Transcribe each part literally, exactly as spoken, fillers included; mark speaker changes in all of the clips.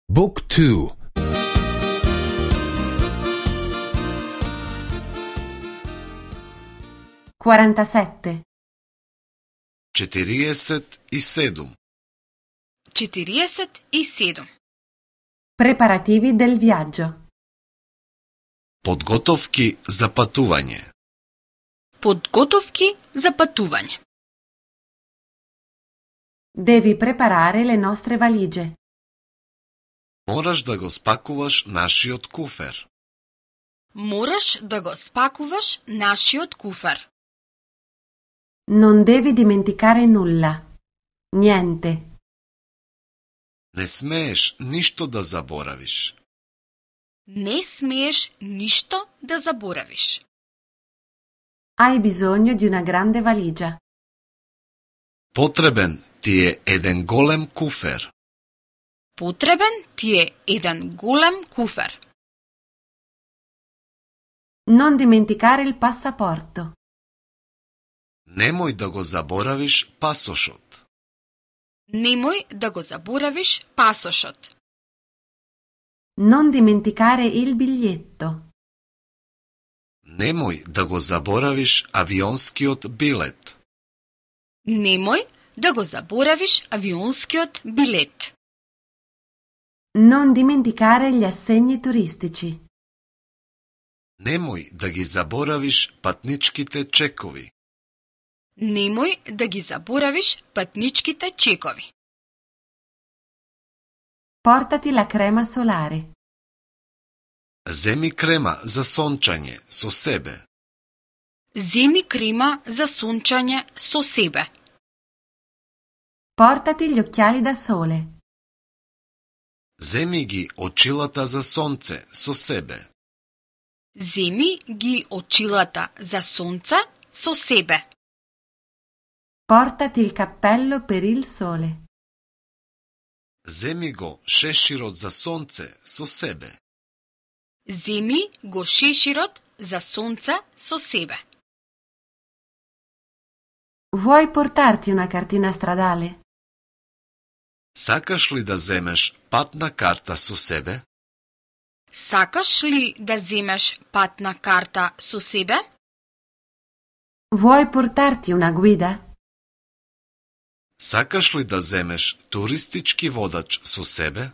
Speaker 1: Book two.
Speaker 2: quarantasette.
Speaker 3: четириесет и седум.
Speaker 4: четириесет и седум.
Speaker 2: Preparativi del viaggio.
Speaker 3: Подготовки за патување.
Speaker 4: Подготовки за патување.
Speaker 2: Devi preparare le nostre valigie.
Speaker 3: Мораш да го спакуваш нашиот куфер.
Speaker 4: Мораш да го спакуваш нашиот куфер.
Speaker 2: Non devi dimenticare nulla. Niente.
Speaker 3: Не смееш ништо да заборавиш.
Speaker 4: Не смееш ништо да заборавиш.
Speaker 2: Hai bisogno di una grande valigia.
Speaker 3: Потребен ти е еден голем куфер.
Speaker 4: Потребен ти е еден голем куфер.
Speaker 2: Non dimenticare il passaporto.
Speaker 3: Немој да го заборавиш пасошот.
Speaker 4: Немој да го заборавиш пасошот.
Speaker 2: Non dimenticare il biglietto.
Speaker 3: Немој да го заборавиш авионскиот билет.
Speaker 4: Немој да го заборавиш авионскиот билет.
Speaker 2: Non dimenticare gli assegni turistici.
Speaker 3: Немој да ги заборавиш патничките чекови.
Speaker 4: Немој да ги заборавиш патничките чекови.
Speaker 2: Portati la crema solare.
Speaker 3: Земи крема за сончање со себе.
Speaker 4: Земи крема за сончање со себе.
Speaker 2: Portati gli occhiali da sole.
Speaker 3: Земи ги очилата за сонце со себе.
Speaker 4: Земи ги очилата за сонце со себе.
Speaker 2: Portati il cappello per il sole.
Speaker 3: Земи го шеширот за сонце со себе.
Speaker 4: Земи го шеширот за сонце со себе.
Speaker 2: Vuoi portarti una cartina stradale?
Speaker 3: Сакаш ли да земеш патна карта со себе?
Speaker 4: Сакаш ли да земеш патна карта со себе?
Speaker 2: Vuoi portarti una guida?
Speaker 3: Сакаш ли да земеш туристички водач со себе?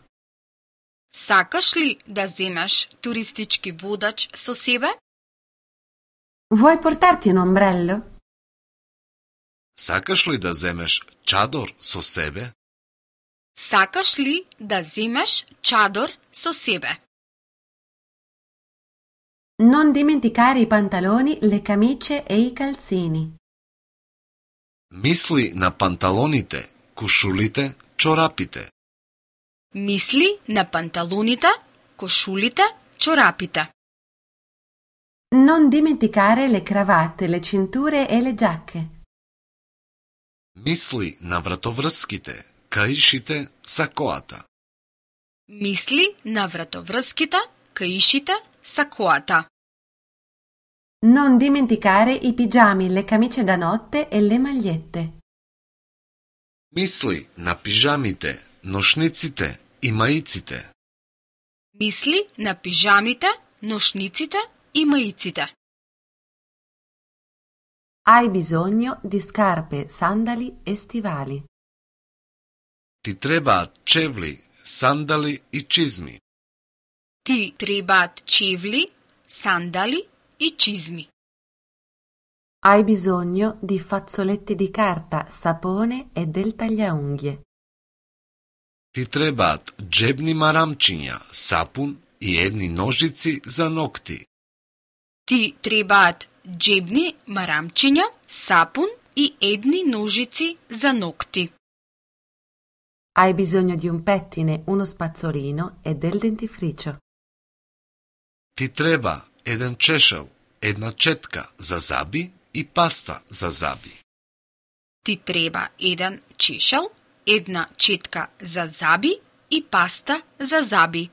Speaker 4: Сакаш ли да земеш туристички водач со себе?
Speaker 2: Vuoi portarti un ombrello?
Speaker 3: Сакаш ли да земеш чадор со себе?
Speaker 4: Сакаш ли да земеш чадор со себе?
Speaker 2: Non dimenticare i pantaloni, le camicie e i calzini.
Speaker 3: Мисли на панталоните, кушулите, чорапите.
Speaker 4: Мисли на панталоните, кошулите, чорапите.
Speaker 2: Non dimenticare le cravatte, le cinture e le giacche.
Speaker 3: Мисли на вратоврските, каишите, сакоата.
Speaker 4: Мисли на вратоврските, каишите, сакоата.
Speaker 2: Non dimenticare i pigiami, le camicie da notte e le magliette.
Speaker 3: Мисли на пижамите, ношниците и маиците.
Speaker 4: Мисли на пижамите, ношниците и маиците.
Speaker 2: Hai bisogno di scarpe, sandali e stivali.
Speaker 3: Ти требаат чевли, сандали и чизми.
Speaker 4: Ти требаат чевли, сандали и чизми.
Speaker 2: Hai bisogno di fazzoletti di carta, sapone e del tagliaunghie.
Speaker 3: Ти требаат джебни марамчиња, сапун и едни ножици за ногти.
Speaker 4: Ти требаат джебни марамчиња, сапун и едни ножици за ногти.
Speaker 2: Hai bisogno di un pettine, uno spazzolino e del dentifricio.
Speaker 3: Ти треба еден чешел, една четка за заби и паста за заби.
Speaker 4: Ти треба еден чешел, една четка за заби и паста за заби.